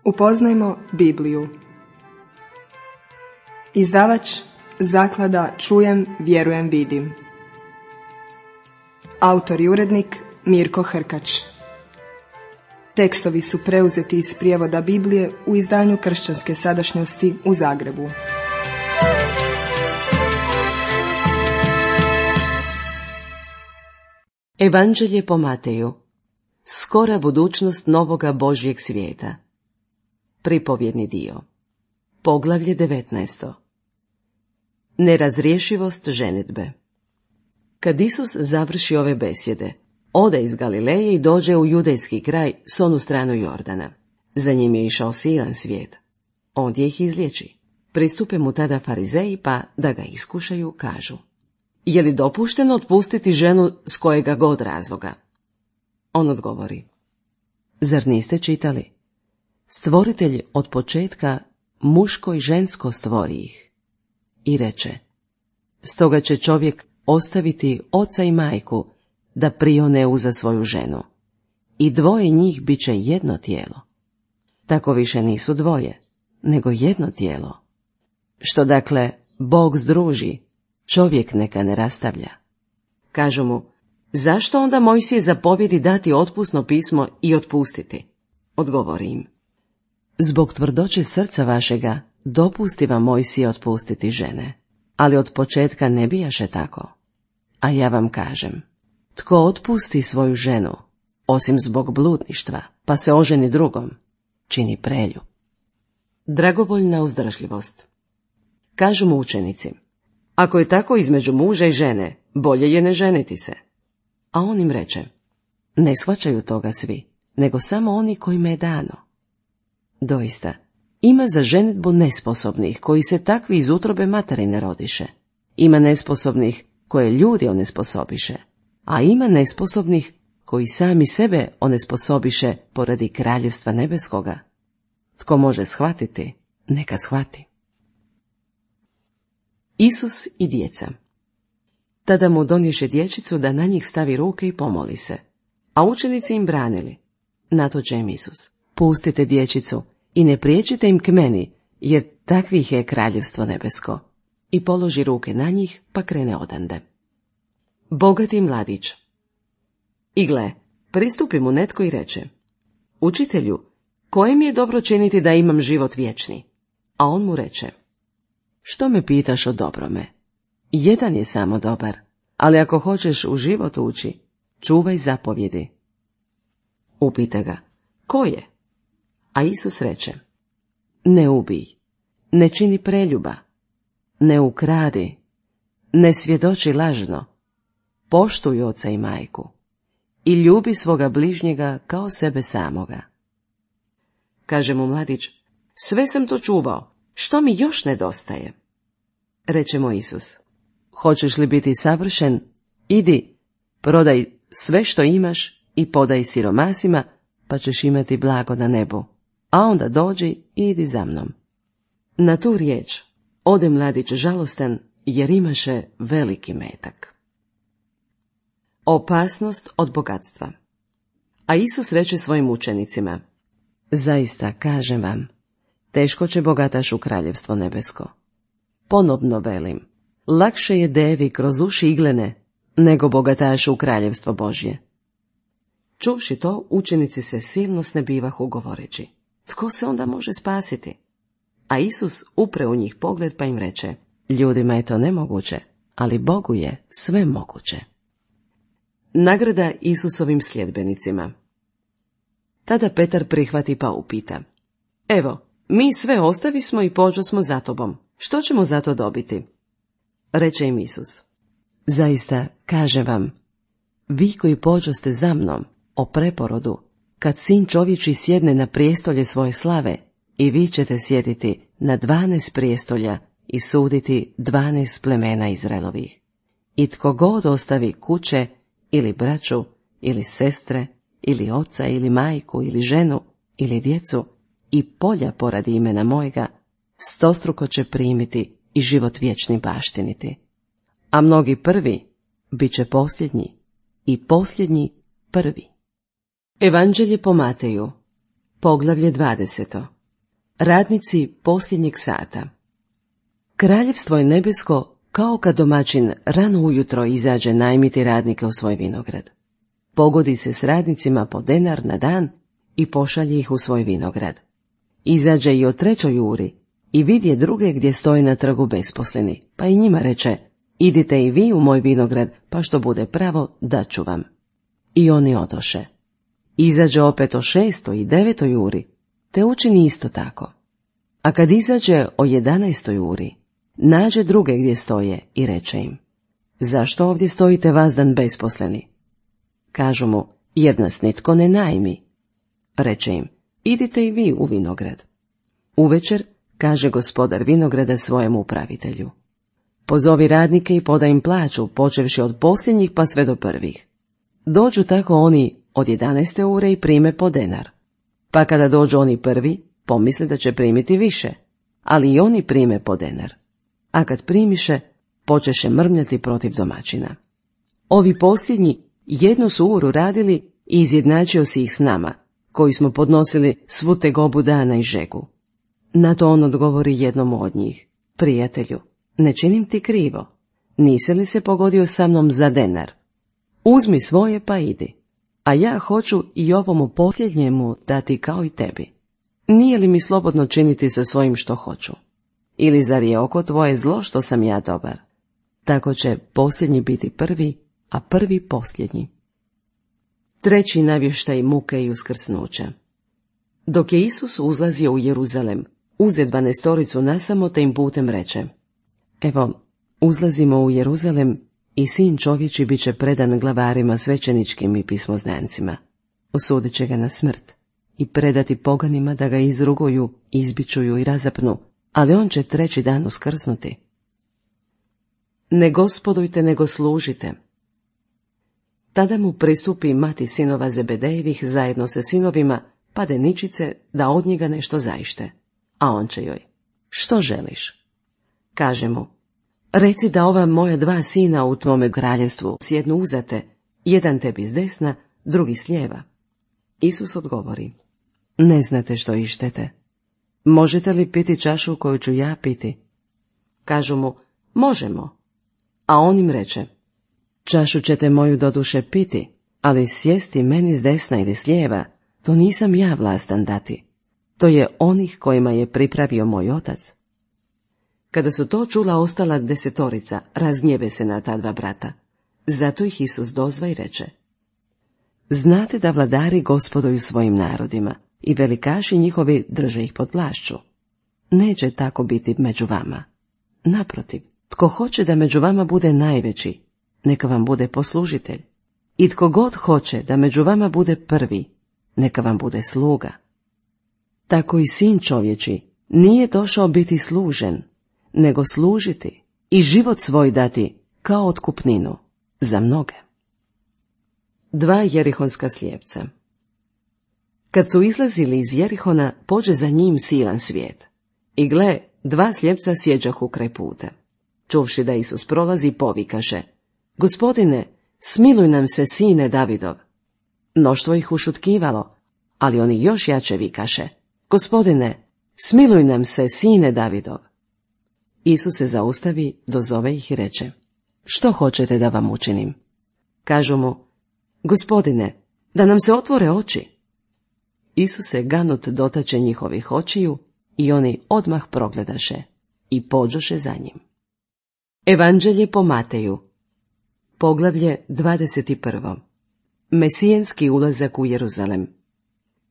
Upoznajmo Bibliju. Izdavač Zaklada Čujem, vjerujem, vidim. Autor i urednik Mirko Hrkač. Tekstovi su preuzeti iz prijevoda Biblije u izdanju Kršćanske sadašnjosti u Zagrebu. Evanđelje po Mateju. Skora budućnost novoga Božjeg svijeta. Pripovjedni dio. Poglavlje 19. Nerazrješivost ženidbe. Kad Isus završi ove besjede, ode iz Galileje i dođe u judejski kraj s onu stranu Jordana. Za njim je išao silan svijet. Ondje ih izliječi. Pristupe mu tada farizeji, pa da ga iskušaju, kažu: je li dopušteno otpustiti ženu s kojega god razloga? On odgovori: zar niste čitali? Stvoritelj od početka muško i žensko stvori ih. I reče: stoga će čovjek ostaviti oca i majku da prione uza svoju ženu. I dvoje njih bit će jedno tijelo. Tako više nisu dvoje, nego jedno tijelo. Što dakle Bog združi, čovjek neka ne rastavlja. Kažu mu: zašto onda Mojsije zapovjedi dati otpusno pismo i otpustiti? Odgovori im: zbog tvrdoće srca vašega dopusti vam Mojsije otpustiti žene, ali od početka ne bijaše tako. A ja vam kažem, tko otpusti svoju ženu, osim zbog bludništva, pa se oženi drugom, čini prelju. Dragovoljna uzdržljivost. Kažu mu učenici: ako je tako između muža i žene, bolje je ne ženiti se. A on im reče: ne shvaćaju toga svi, nego samo oni kojima je dano. Doista, ima za ženidbu nesposobnih, koji se takvi iz utrobe materine rodiše. Ima nesposobnih koje ljudi onesposobiše, a ima nesposobnih koji sami sebe onesposobiše poradi kraljevstva nebeskoga. Tko može shvatiti, neka shvati. Isus i djeca. Tada mu donješe dječicu da na njih stavi ruke i pomoli se, a učenici im branili. Na to će im Isus: pustite dječicu i ne priječite im k meni, jer takvih je kraljevstvo nebesko. I položi ruke na njih, pa krene odande. Bogati mladić. I gle, pristupi mu netko i reče: učitelju, koje mi je dobro činiti da imam život vječni? A on mu reče: što me pitaš o dobrome? Jedan je samo dobar, ali ako hoćeš u život ući, čuvaj zapovjedi. Upita ga: ko je? A Isus reče: ne ubij, ne čini preljuba, ne ukradi, ne svjedoči lažno, poštuj oca i majku i ljubi svoga bližnjega kao sebe samoga. Kaže mu mladić: sve sam to čuvao, što mi još nedostaje? Reče mu Isus: hoćeš li biti savršen? Idi, prodaj sve što imaš i podaj siromasima, pa ćeš imati blago na nebu, a onda dođi i idi za mnom. Na tu riječ ode mladić žalostan, jer imaše veliki metak. Opasnost od bogatstva. A Isus reče svojim učenicima: zaista kažem vam, teško će bogataš u kraljevstvo nebesko. Ponovno velim, lakše je devi kroz uši iglene, nego bogatašu u kraljevstvo Božje. Čuvši to, učenici se silno snebivahu govoreći: tko se onda može spasiti? A Isus upre u njih pogled, pa im reče: ljudima je to nemoguće, ali Bogu je sve moguće. Nagrada Isusovim sljedbenicima. Tada Petar prihvati pa upita: evo, mi sve ostavismo i pođosmo za tobom, što ćemo za to dobiti? Reče im Isus: zaista kažem vam, vi koji pođoste za mnom o preporodu, kad Sin čovječji sjedne na prijestolje svoje slave, i vi ćete sjediti na 12 prijestolja i suditi 12 plemena Izraelovih. I tko god ostavi kuće, ili braću, ili sestre, ili oca, ili majku, ili ženu, ili djecu, i polja poradi imena mojega, stostruko će primiti i život vječni baštiniti. A mnogi prvi bit će posljednji, i posljednji prvi. Evanđelje po Mateju, poglavlje 20. Radnici posljednjeg sata. Kraljevstvo je nebesko kao kad domaćin rano ujutro izađe najmiti radnike u svoj vinograd. Pogodi se s radnicima po denar na dan i pošalje ih u svoj vinograd. Izađe i o 3 uri i vidje druge gdje stoje na trgu besposleni, pa i njima reče: idite i vi u moj vinograd, pa što bude pravo, daću vam. I oni odoše. Izađe opet o 6 i 9 uri, te učini isto tako. A kad izađe o 11 uri, nađe druge gdje stoje i reče im: zašto ovdje stojite vazdan besposleni? Kažu mu: jer nas nitko ne najmi. Reče im: idite i vi u vinograd. Uvečer kaže gospodar vinograda svojem upravitelju: pozovi radnike i podaj im plaću, počevši od posljednjih pa sve do prvih. Dođu tako oni od 11 ure i prime po denar. Pa kada dođu oni prvi, pomisle da će primiti više, ali i oni prime po denar. A kad primiše, počeše mrmljati protiv domaćina. Ovi posljednji 1 uru radili i izjednačio si ih s nama, koji smo podnosili svu tegobu dana i žegu. Na to on odgovori jednom od njih: prijatelju, ne činim ti krivo. Nisi li se pogodio sa mnom za denar? Uzmi svoje pa idi, a ja hoću i ovomu posljednjemu dati kao i tebi. Nije li mi slobodno činiti sa svojim što hoću? Ili zar je oko tvoje zlo što sam ja dobar? Tako će posljednji biti prvi, a prvi posljednji. 3. navještaj muke i uskrsnuća. Dok je Isus uzlazio u Jeruzalem, uze 12 nasamo te im putem reče: evo, uzlazimo u Jeruzalem i sin čovječi bit će predan glavarima svećeničkim i pismoznancima. Osudit će ga na smrt i predati poganima da ga izruguju, izbičuju i razapnu, ali on će 3. dan uskrsnuti. Ne gospodujte, nego služite. Tada mu pristupi mati sinova Zebedejevih zajedno sa sinovima, pade ničice da od njega nešto zaište. A on će joj: što želiš? Kaže mu: reci da ova moja 2 sina u tvome kraljevstvu sjednu uzate, jedan tebi s desna, drugi s lijeva. Isus odgovori: ne znate što ištete. Možete li piti čašu koju ću ja piti? Kažu mu: možemo. A on im reče: čašu ćete moju doduše piti, ali sjesti meni s desna ili s lijeva, to nisam ja vlastan dati. To je onih kojima je pripravio moj otac. Kada su to čula ostala 10, razgnjeve se na ta 2 brata. Zato ih Isus dozva i reče: znate da vladari gospoduju svojim narodima i velikaši njihovi drže ih pod vlašću. Neće tako biti među vama. Naprotiv, tko hoće da među vama bude najveći, neka vam bude poslužitelj. I tko god hoće da među vama bude prvi, neka vam bude sluga. Tako i sin čovječi nije došao biti služen, nego služiti i život svoj dati kao otkupninu za mnoge. 2 jerihonska slijepca. Kad su izlazili iz Jerihona, pođe za njim silan svijet. I gle, 2 slijepca sjeđahu kraj puta. Čuvši da Isus prolazi, povikaše: Gospodine, smiluj nam se, sine Davidov. Mnoštvo ih ušutkivalo, ali oni još jače vikaše: Gospodine, smiluj nam se, sine Davidov. Isus se zaustavi, dozove ih i reče: Što hoćete da vam učinim? Kažu mu: Gospodine, da nam se otvore oči. Isus se ganut dotače njihovih očiju i oni odmah progledaše i pođoše za njim. Evanđelje po Mateju. Poglavlje 21. Mesijenski ulazak u Jeruzalem.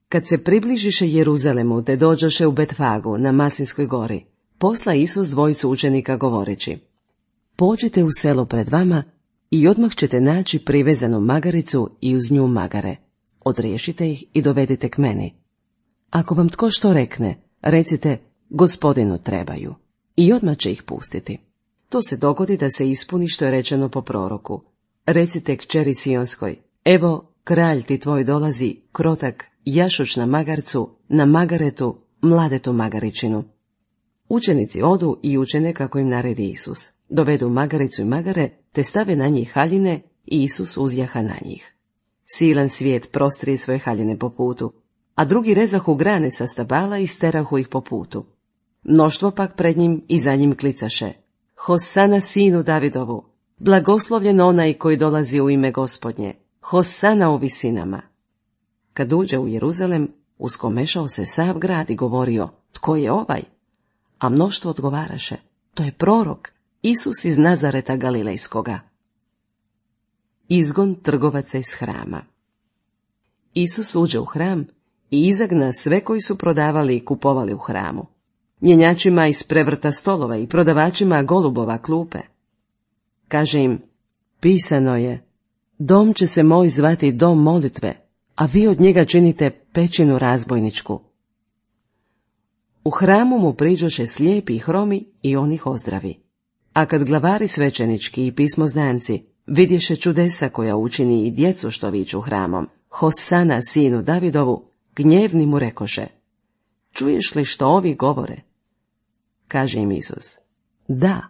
Kad se približiše Jeruzalemu te dođoše u Betfagu na Maslinskoj gori, posla Isus 2 učenika govoreći: Pođite u selo pred vama i odmah ćete naći privezanu magaricu i uz nju magare. Odriješite ih i dovedite k meni. Ako vam tko što rekne, recite: Gospodinu trebaju, i odmah će ih pustiti. To se dogodi da se ispuni što je rečeno po proroku: Recite kćeri Sionskoj: Evo, kralj ti tvoj dolazi, krotak, jašuć na magarcu, na magaretu, mladetu magaričinu. Učenici odu i učine kako im naredi Isus. Dovedu magaricu i magare, te stave na njih haljine i Isus uzjaha na njih. Silan svijet prostrije svoje haljine po putu, a drugi rezahu grane sa stabala i sterahu ih po putu. Mnoštvo pak pred njim i za njim klicaše: Hosana sinu Davidovu, blagoslovljen onaj koji dolazi u ime Gospodnje, Hosana u visinama. Kad uđe u Jeruzalem, uskomešao se sav grad i govorio: Tko je ovaj? A mnoštvo odgovaraše: To je prorok, Isus iz Nazareta Galilejskoga. Izgon trgovaca iz hrama. Isus uđe u hram i izagna sve koji su prodavali i kupovali u hramu. Mjenjačima isprevrta stolova i prodavačima golubova klupe. Kaže im: Pisano je: Dom će se moj zvati dom molitve, a vi od njega činite pećinu razbojničku. U hramu mu priđoše slijepi i hromi i on ih ozdravi. A kad glavari svećenički i pismoznanci vidješe čudesa koja učini i djecu što viču hramom: Hosana sinu Davidovu, gnjevni mu rekoše: Čuješ li što ovi govore? Kaže im Isus: Da,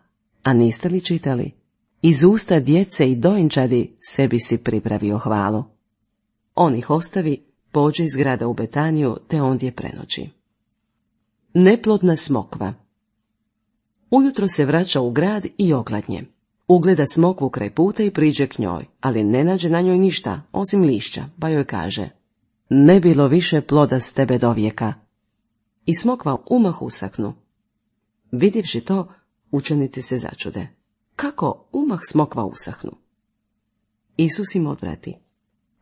a niste li čitali? Iz usta djece i dojenčadi sebi si pripravio hvalu. On ih ostavi, pođe iz grada u Betaniju, te ondje prenoći. Neplodna smokva. Ujutro se vraća u grad i okladnje. Ugleda smokvu kraj puta i priđe k njoj, ali ne nađe na njoj ništa, osim lišća, pa joj kaže: Ne bilo više ploda s tebe do vijeka. I smokva umah usaknu. Vidjevši to, učenici se začude: Kako umah smokva usahnu? Isus im odvrati: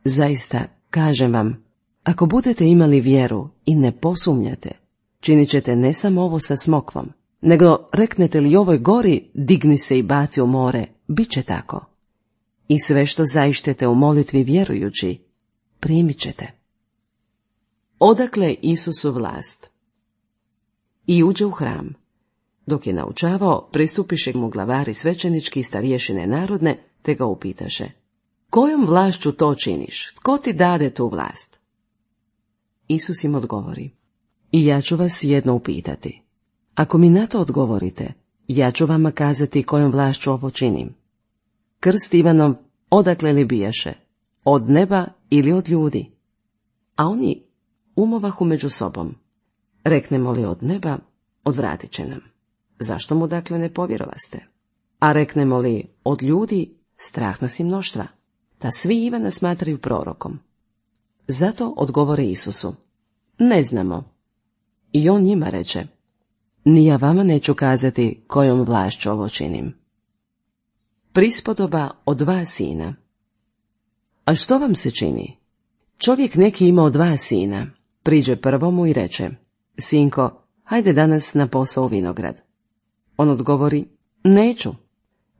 Zaista, kažem vam, ako budete imali vjeru i ne posumnjate, činit ćete ne samo ovo sa smokvom, nego reknete li ovoj gori: digni se i baci u more, bit će tako. I sve što zaištete u molitvi vjerujući, primit ćete. Odakle Isusu vlast? I uđe u hram. Dok je naučavao, pristupiše mu glavari svećenički i starješine narodne, te ga upitaše: Kojom vlašću to činiš? Tko ti dade tu vlast? Isus im odgovori: I ja ću vas jedno upitati. Ako mi na to odgovorite, ja ću vama kazati kojom vlašću ovo činim. Krst Ivanov odakle li bijaše? Od neba ili od ljudi? A oni umovahu među sobom: Reknemo li od neba, odvratit će nam. Zašto mu dakle ne povjerovaste? A reknemo li od ljudi, strah nas i mnoštva, ta svi Ivana smatraju prorokom. Zato odgovore Isusu: Ne znamo. I on njima reče: Ni ja vama neću kazati kojom vlašću ovo činim. Prispodoba o 2 sina. A što vam se čini? Čovjek neki imao 2 sina, priđe prvomu i reče: Sinko, hajde danas na posao u vinograd. On odgovori: Neću.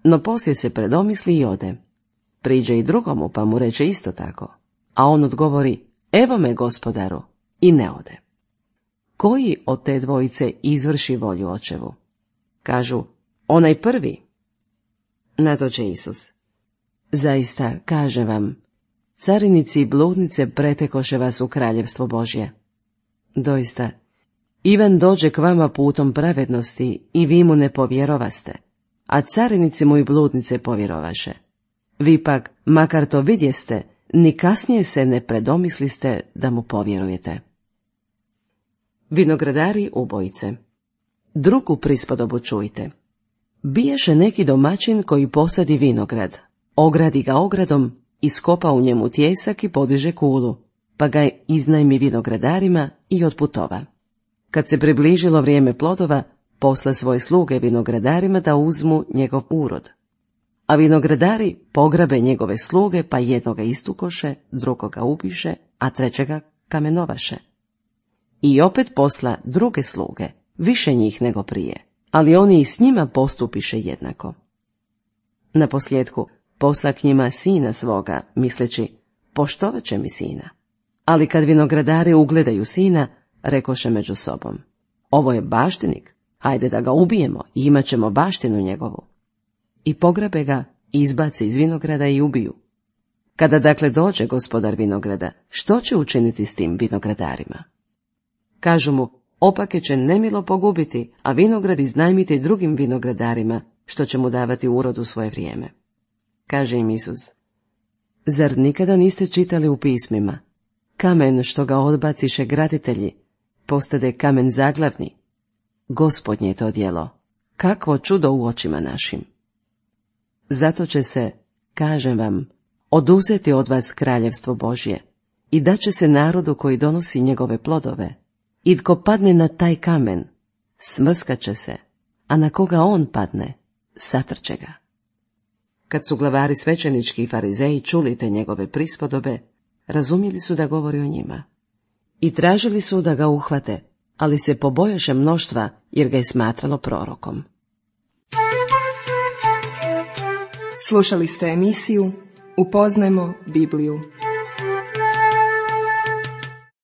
No poslije se predomisli i ode. Priđe i drugomu, pa mu reče isto tako. A on odgovori: Evo me, gospodaru, i ne ode. Koji od te dvojice izvrši volju očevu? Kažu: Onaj prvi. Na to će Isus: Zaista, kažem vam, carinici i bludnice pretekoše vas u kraljevstvo Božje. Doista, Ivan dođe k vama putom pravednosti i vi mu ne povjerovaste, a carinici mu i bludnice povjerovaše. Vi pak, makar to vidjeste, ni kasnije se ne predomisliste da mu povjerujete. Vinogradari ubojice. Drugu prispodobu čujte. Biješe neki domaćin koji posadi vinograd, ogradi ga ogradom, iskopa u njemu tijesak i podiže kulu, pa ga iznajmi vinogradarima i otputova. Kad se približilo vrijeme plodova, posla svoje sluge vinogradarima da uzmu njegov urod. A vinogradari pograbe njegove sluge, pa jednoga istukoše, drugoga ubiše, a trećega kamenovaše. I opet posla druge sluge, više njih nego prije, ali oni i s njima postupiše jednako. Naposljetku posla k njima sina svoga, misleći: Poštovat će mi sina. Ali kad vinogradari ugledaju sina, rekoše među sobom: Ovo je baštinik, hajde da ga ubijemo i imat ćemo baštinu njegovu. I pograbe ga, izbace iz vinograda i ubiju. Kada dakle dođe gospodar vinograda, što će učiniti s tim vinogradarima? Kažu mu: Opake će nemilo pogubiti, a vinograd iznajmiti drugim vinogradarima, što će mu davati urod u svoje vrijeme. Kaže im Isus: Zar nikada niste čitali u pismima? kamen što ga odbaciše graditelji, postade kamen zaglavni. Gospodnje je to djelo, kakvo čudo u očima našim. Zato će se, kažem vam, oduzeti od vas kraljevstvo Božje i daće se narodu koji donosi njegove plodove. I tko padne na taj kamen, smrskat će se, a na koga on padne, satrće ga. Kad su glavari svećenički i farizeji čuli te njegove prispodobe, razumjeli su da govori o njima. I tražili su da ga uhvate, ali se pobojaše mnoštva jer ga je smatralo prorokom. Slušali ste emisiju Upoznajmo Bibliju.